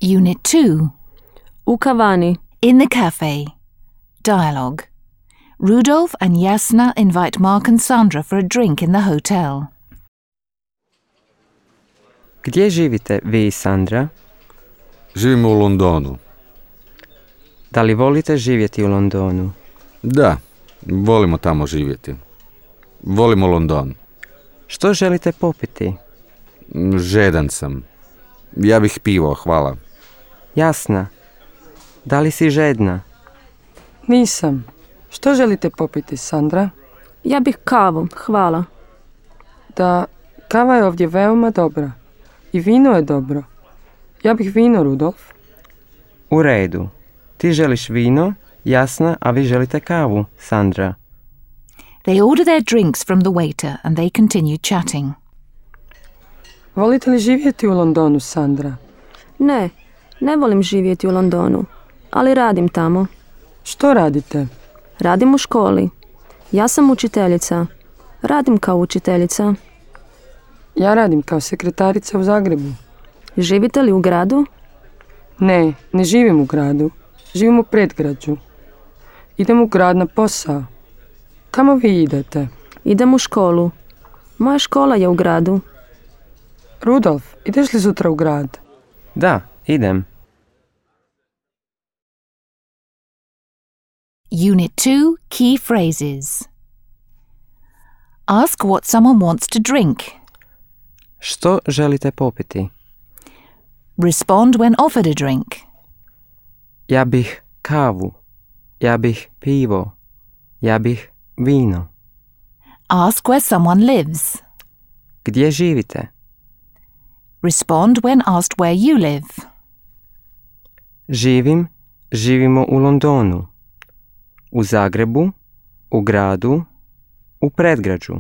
Unit 2. U kavani. In the cafe. Dialogue. Rudolf and Jasna invite Mark and Sandra for a drink in the hotel. Gdje živite vi i Sandra? Živimo u Londonu. Da li volite živjeti u Londonu? Da, volimo tamo živjeti. Volimo London. Što želite popiti? Žedan sam. Ja bih pivo, hvala. Jasna. Da li si žedna? Nisam. Što želite popiti, Sandra? Ja bih kavu, hvala. Da, kava je ovdje veoma dobra. I vino je dobro. Ja bih vino, Rudolf. U redu. Ti želiš vino, Jasna, a vi želite kavu, Sandra. They order their drinks from the waiter and they continue chatting. Volite li živjeti u Londonu, Sandra? Ne volim živjeti u Londonu, ali radim tamo. Što radite? Radim u školi. Ja sam učiteljica. Radim kao učiteljica. Ja radim kao sekretarica u Zagrebu. Živite li u gradu? Ne živim u gradu. Živim u predgrađu. Idem u grad na posao. Kamo vi idete? Idem u školu. Moja škola je u gradu. Rudolf, ideš li sutra u grad? Da, idem. Unit 2. Key phrases. Ask what someone wants to drink. Što želite popiti? Respond when offered a drink. Ja bih kavu. Ja bih pivo. Ja bih vino. Ask where someone lives. Gdje živite? Respond when asked where you live. Živimo u Londonu. U Zagrebu, u gradu, u predgrađu.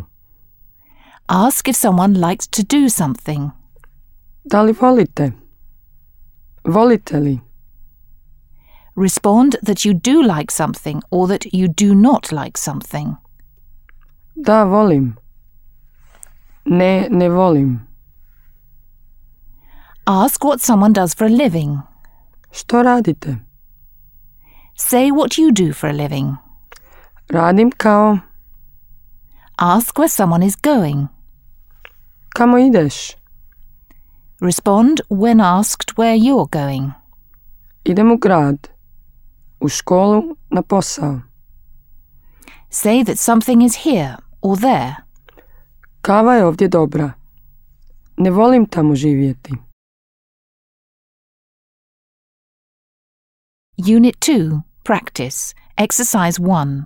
Ask if someone likes to do something. Da li volite? Volite li? Respond that you do like something or that you do not like something. Da, volim. Ne volim. Ask what someone does for a living. Što radite? Say what you do for a living. Radim kao... Ask where someone is going. Kamo ideš? Respond when asked where you're going. Idem u grad. U školu, na posao. Say that something is here or there. Kava je ovdje dobra. Ne volim tamo živjeti. Unit 2. Practice. Exercise 1.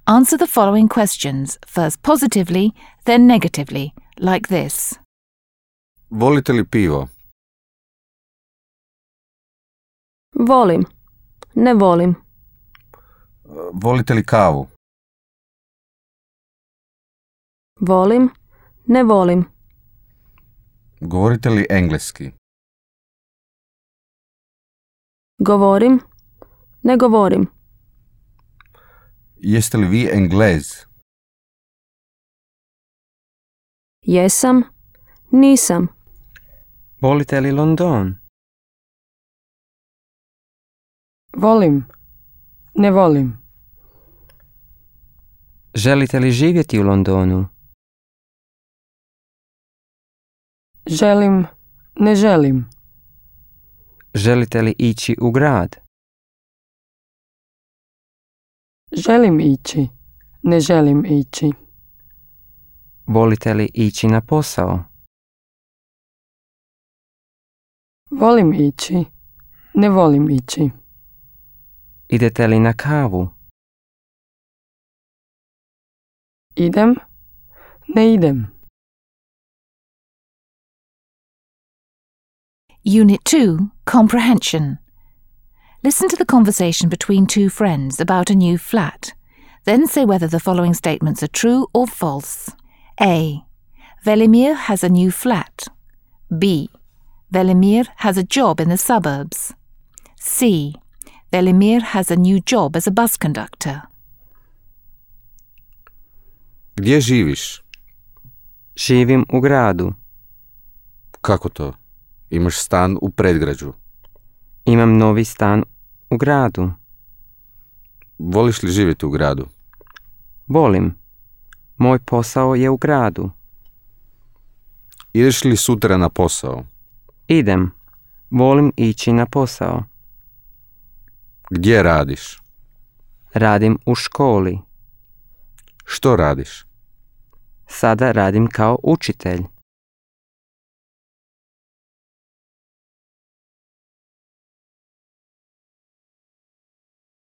Answer the following questions, first positively, then negatively, like this. Volite li pivo? Volim. Ne volim. Volite li kavu? Volim. Ne volim. Govorite li engleski? Govorim. Ne govorim. Jeste li vi Englez? Jesam. Nisam. Volite li London? Volim. Ne volim. Želite li živjeti u Londonu? Želim. Ne želim. Želite li ići u grad? Želim ići. Ne želim ići. Volite li ići na posao? Volim ići. Ne volim ići. Idete li na kavu? Idem. Ne idem. Unit 2. Comprehension. Listen to the conversation between two friends about a new flat. Then say whether the following statements are true or false. A. Velimir has a new flat. B. Velimir has a job in the suburbs. C. Velimir has a new job as a bus conductor. Gdje živiš? Živim u gradu. Kako to? Imaš stan u predgrađu. Imam novi stan u gradu. Voliš li živjeti u gradu? Volim. Moj posao je u gradu. Ideš li sutra na posao? Idem. Volim ići na posao. Gdje radiš? Radim u školi. Što radiš? Sada radim kao učitelj.